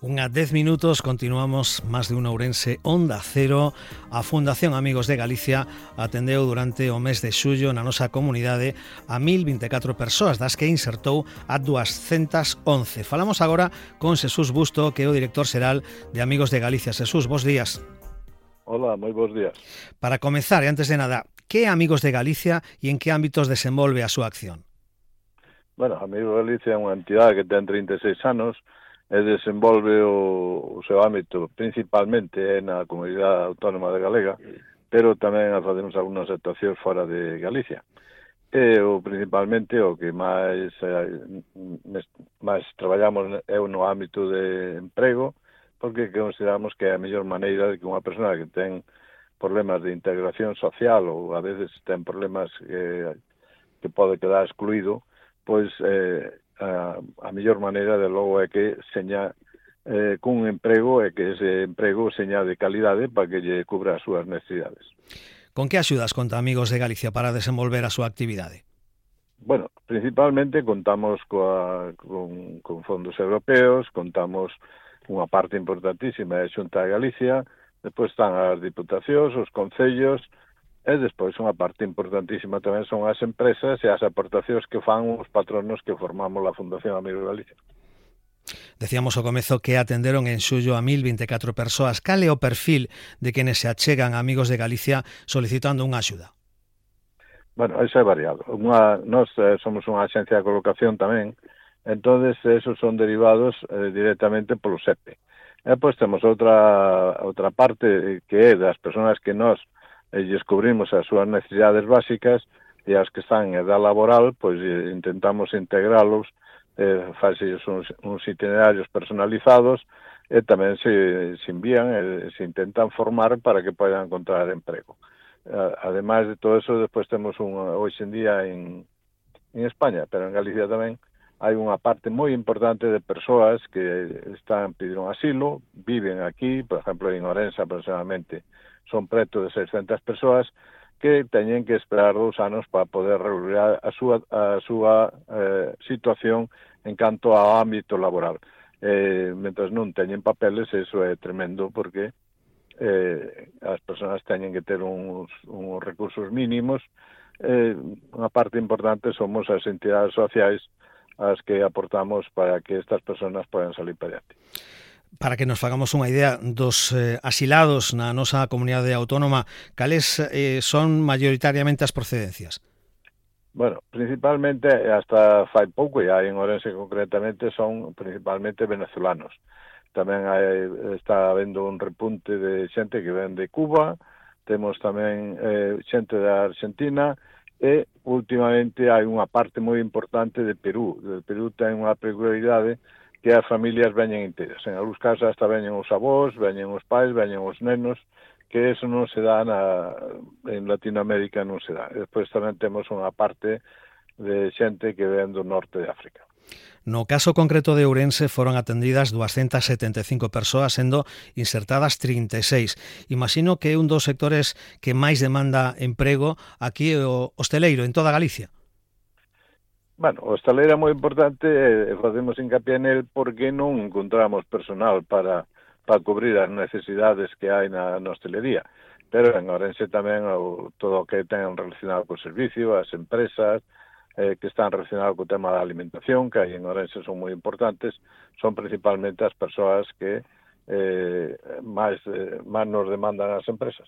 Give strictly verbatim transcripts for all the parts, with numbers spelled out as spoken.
Unha dez minutos, continuamos máis de un ourense Onda Cero. A Fundación Amigos de Galicia atendeu durante o mes de xullo na nosa comunidade a mil vinte e catro persoas, das que insertou a duascentas once. Falamos agora con Xesús Busto, que é o director xeral de Amigos de Galicia. Xesús, bos días. Hola, moi bons días. Para comezar, e antes de nada, que é Amigos de Galicia e en que ámbitos desenvolve a súa acción? Bueno, Amigos de Galicia é unha entidade que ten trinta e seis anos e desenvolve o, o seu ámbito principalmente na Comunidade Autónoma de Galega, pero tamén facemos algunhas actuacións fora de Galicia. E o principalmente o que máis eh, máis traballamos é no ámbito de emprego, porque consideramos que é a mellor maneira de que unha persona que ten problemas de integración social ou a veces ten problemas que, que pode quedar excluído, pois eh, a, a mellor maneira de logo é que seña eh, cun emprego e que ese emprego seña de calidade para que lle cubra as súas necesidades. Con que axudas conta Amigos de Galicia para desenvolver a súa actividade? Bueno, principalmente contamos coa, con, con fondos europeos, contamos unha parte importantísima da Xunta de Galicia, despois están as diputacións, os concellos, e despois unha parte importantísima tamén son as empresas e as aportacións que fan os patronos que formamos a Fundación Amigos de Galicia. Decíamos ao comezo que atenderon en xullo a mil vinte e catro persoas. Cal é o perfil de quenes se achegan a Amigos de Galicia solicitando unha axuda? Bueno, iso é variado. Unha, nós eh, somos unha axencia de colocación tamén, entonces esos son derivados eh, directamente polo S E P E. E pois temos outra outra parte que é das persoas que nós e descubrimos as súas necesidades básicas e as que están en edad laboral, pois intentamos integralos, eh, faxellos uns, uns itinerarios personalizados e tamén se, se envían e se intentan formar para que podan encontrar emprego. Ademais de todo eso, despois temos un, hoxe en día en, en España, pero en Galicia tamén, hai unha parte moi importante de persoas que están pedindo asilo, viven aquí, por exemplo, en Ourense aproximadamente, son preto de seiscentas persoas que teñen que esperar dous anos para poder regular a súa, a súa eh, situación en canto ao ámbito laboral. Eh, mentre non teñen papeles, eso é tremendo, porque eh, as persoas teñen que ter uns, uns recursos mínimos. Eh, unha parte importante somos as entidades sociais as que aportamos para que estas persoas podan salir para adiante. Para que nos fagamos unha idea dos eh, asilados na nosa comunidade autónoma, cales eh, son maioritariamente as procedencias? Bueno, principalmente, hasta fai pouco, e hai en Ourense concretamente, son principalmente venezolanos. Tamén hai, está habendo un repunte de xente que ven de Cuba, temos tamén eh, xente da Argentina, e últimamente hai unha parte moi importante de Perú. De Perú ten unha peculiaridade que as familias veñen inteiras. En algúns casos hasta veñen os avós, veñen os pais, veñen os nenos, que eso non se dá na, en Latinoamérica, non se dá. Despois tamén temos unha parte de xente que ven do norte de África. No caso concreto de Ourense foron atendidas duascentas setenta e cinco persoas, sendo insertadas trinta e seis. Imagino que é un dos sectores que máis demanda emprego aquí o hosteleiro, en toda Galicia. Bueno, o hosteleiro é moi importante e facemos hincapié nel porque non encontramos personal para, para cubrir as necesidades que hai na, na hostelería. Pero en Ourense tamén o, todo o que ten relacionado co servicio, as empresas eh, que están relacionadas co tema da alimentación, que hai en Ourense son moi importantes, son principalmente as persoas que eh, máis, eh, máis nos demandan as empresas.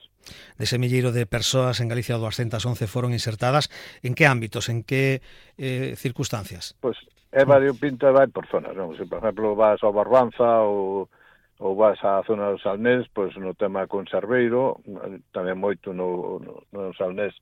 Dese milleiro de persoas en Galicia, duascentas once foron insertadas. En que ámbitos, en que eh, circunstancias? Pois é variopinto e vai por zonas, non? Se, por exemplo, vas ao Barbanza ou, ou vas á zona do Salnés, pois no tema conserveiro, tamén moito no, no, no Salnés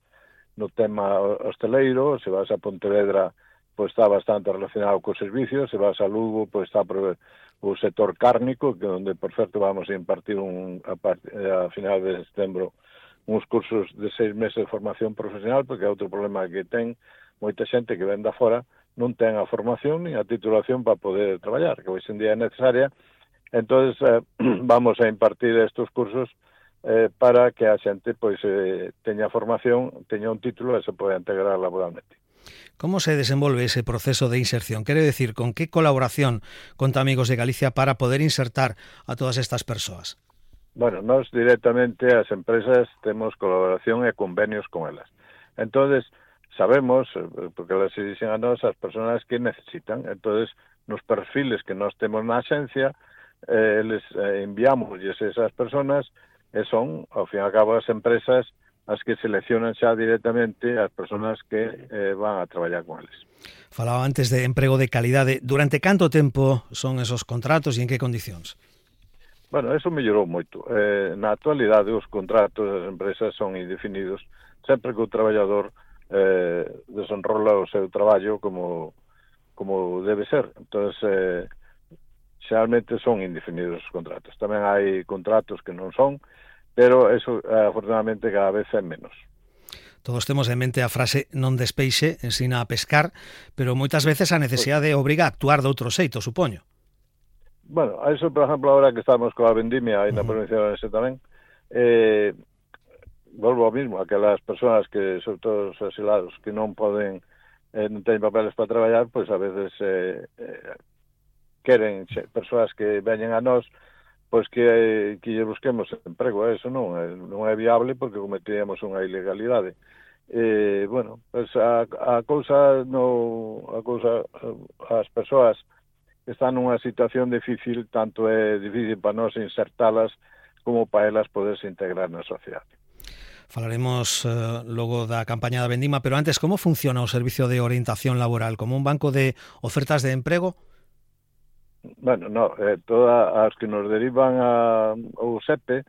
no tema hosteleiro. Se vas a Pontevedra, pois está bastante relacionado co servicio. Se vas a Lugo, pois está por o sector cárnico, que onde, por certo, vamos a impartir un, a, part, a final de setembro uns cursos de seis meses de formación profesional, porque é outro problema que ten moita xente que ven da fora, non ten a formación ni a titulación para poder traballar, que hoxe en día é necesaria. Entonces eh, vamos a impartir estos cursos eh, para que a xente pois eh, teña formación, teña un título e se poda integrar laboralmente. Como se desenvolve ese proceso de inserción? Quere decir, con que colaboración conta Amigos de Galicia para poder insertar a todas estas persoas? Bueno, nós directamente as empresas temos colaboración e convenios con elas. Entonces, sabemos, porque elas se dicen a nós, as persoas que necesitan. Entonces, nos perfiles que nós temos na axencia, eh, les eh, enviamos esas persoas e son, ao fin e ao cabo, as empresas as que seleccionan xa directamente as persoas que eh, van a traballar con eles. Falaba antes de emprego de calidade. Durante canto tempo son esos contratos e en que condicións? Bueno, eso mellorou moito. Eh, na actualidade, os contratos das empresas son indefinidos, sempre que o traballador eh, desenrola o seu traballo como, como debe ser. Entón, eh, xeralmente son indefinidos os contratos. Tamén hai contratos que non son, pero eso, eh, afortunadamente, cada vez é menos. Todos temos en mente a frase non despeixe, ensina a pescar, pero moitas veces a necesidade obriga a actuar de outro xeito, supoño. Bueno, a eso, por exemplo, ahora que estamos coa vendimia aí na provincia de Ourense tamén, eh, volvo ao mismo, aquelas persoas que, sobre todo os asilados, que non poden, eh, non teñen papeles para traballar, pois a veces eh, eh, queren xe, persoas que veñen a nós, pois que, eh, que lle busquemos emprego. Eso non é, non é viable porque cometíamos unha ilegalidade. Eh, bueno, pues a, a cousa no, a cousa, as persoas están nunha situación difícil, tanto é difícil para nós insertalas como para elas poderse integrar na sociedade. Falaremos eh, logo da campaña da Vendima, pero antes, como funciona o servicio de orientación laboral? Como un banco de ofertas de emprego? Bueno, no, eh, todas as que nos derivan a, ao S E P E,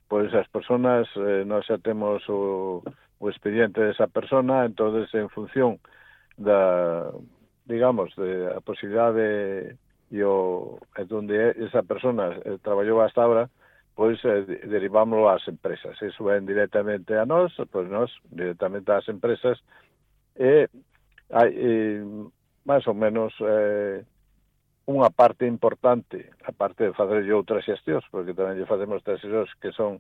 pois as persoas, eh, nós xa temos o, o expediente desa persona, entonces en función da, digamos, de a posibilidade e o e onde esa persona eh, traballou hasta ahora, pois eh, derivámoslo ás empresas. Iso ven directamente a nós, pois nós directamente ás empresas, e hai eh, máis ou menos eh, unha parte importante, a parte de facer outras xestións, porque tamén lle facemos outras xestións que son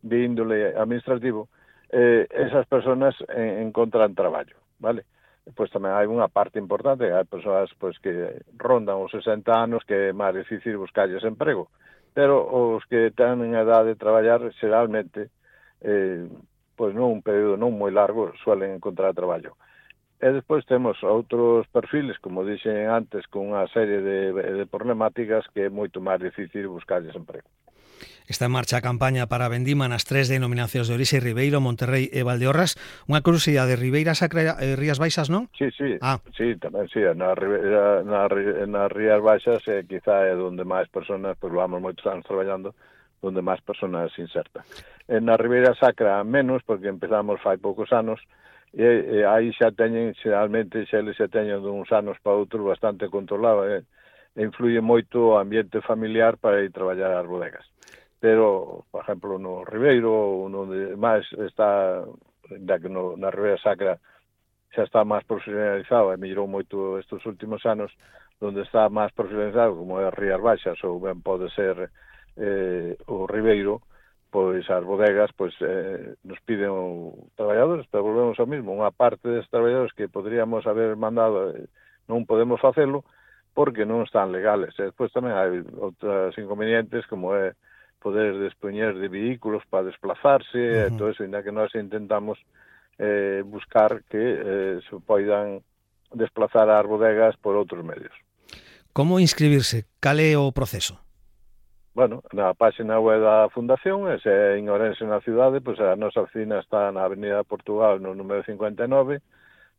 de índole administrativo, eh, esas persoas en, encontran traballo, vale? Pois tamén hai unha parte importante, hai persoas pois que rondan os sesenta anos que é máis difícil buscarlles emprego, pero os que teñen a edade de traballar, xeralmente, eh, pois non un período non moi largo, suelen encontrar traballo. E despois temos outros perfiles, como dixen antes, con unha serie de, de problemáticas que é moito máis difícil buscarlles emprego. Está en marcha a campaña para a Vendima nas tres denominacións de Orixe, Ribeiro, Monterrey e Valdeorras. Unha curiosidade, Ribeira Sacra e Rías Baixas, non? Sí, sí, ah. sí, tamén, sí, na, Ribeira, na, na Rías Baixas eh, quizá é onde máis personas, pois vamos moitos anos traballando, onde máis personas se insertan. En na Ribeira Sacra menos, porque empezamos fai poucos anos, e, e aí xa teñen, xeralmente, xa eles xa teñen de uns anos para outros bastante controlado, e, e influye moito o ambiente familiar para ir traballar ás bodegas. Pero, por exemplo, no Ribeiro, onde máis está, da que no, na Ribeira Sacra xa está máis profesionalizado, e mellorou moito estes últimos anos, onde está máis profesionalizado, como é Rías Baixas, ou ben pode ser eh, o Ribeiro, pois as bodegas pois eh, nos piden o traballadores, pero volvemos ao mismo, unha parte destes traballadores que poderíamos haber mandado, eh, non podemos facelo, porque non están legales. E despois tamén hai outros inconvenientes, como é poder dispoñer de vehículos para desplazarse, uh-huh. e todo eso, ainda que nós intentamos eh, buscar que eh, se poidan desplazar ás bodegas por outros medios. Como inscribirse? Cal é o proceso? Bueno, na página web da Fundación, e se é en Ourense na cidade, pois a nosa oficina está na Avenida Portugal, no número cincuenta e nove,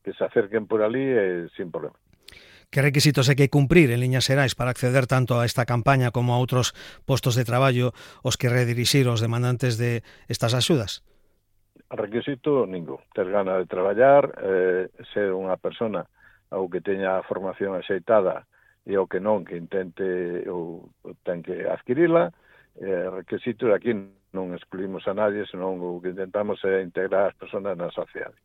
que se acerquen por ali e sin problema. Que requisitos hai que cumprir en liñas xerais para acceder tanto a esta campaña como a outros postos de traballo os que redirixir os demandantes de estas axudas? Requisito ningún. Ter gana de traballar, eh, ser unha persona ou que teña a formación axeitada e o que non, que intente ou ten que adquirila. Eh, requisitos aquí non excluímos a nadie, senón o que intentamos é integrar as persoas na sociedade.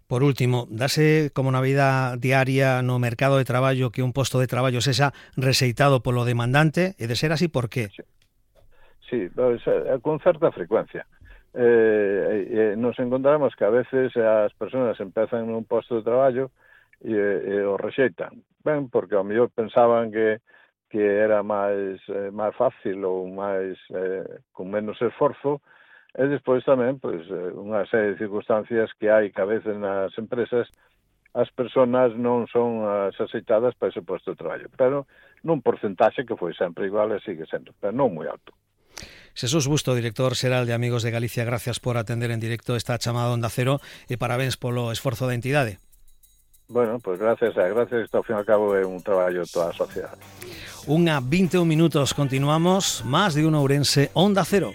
Por último, dase como na vida diaria no mercado de traballo que un posto de traballo sexa rexeitado polo demandante, e de ser así, por qué? Sí, sí, pues, con certa frecuencia. eh, eh, nos encontramos que a veces as persoas empezan nun posto de traballo e, e o rexeitan, ben, porque ao mellor pensaban que que era máis eh, máis fácil ou máis eh, con menos esforzo, e despois tamén pois, eh, unha serie de circunstancias que hai que a veces nas empresas as persoas non son as aceitadas para ese posto de traballo, pero nun porcentaxe que foi sempre igual e sigue sendo, pero non moi alto. Jesús Busto, director xeral de Amigos de Galicia, gracias por atender en directo esta chamada Onda Cero e parabéns polo esforzo da entidade. Bueno, pois pues gracias, a gracias, isto ao fin e ao cabo é un traballo de toda a sociedade. Unha vinte e un minutos, continuamos, máis de un ourense Onda Cero.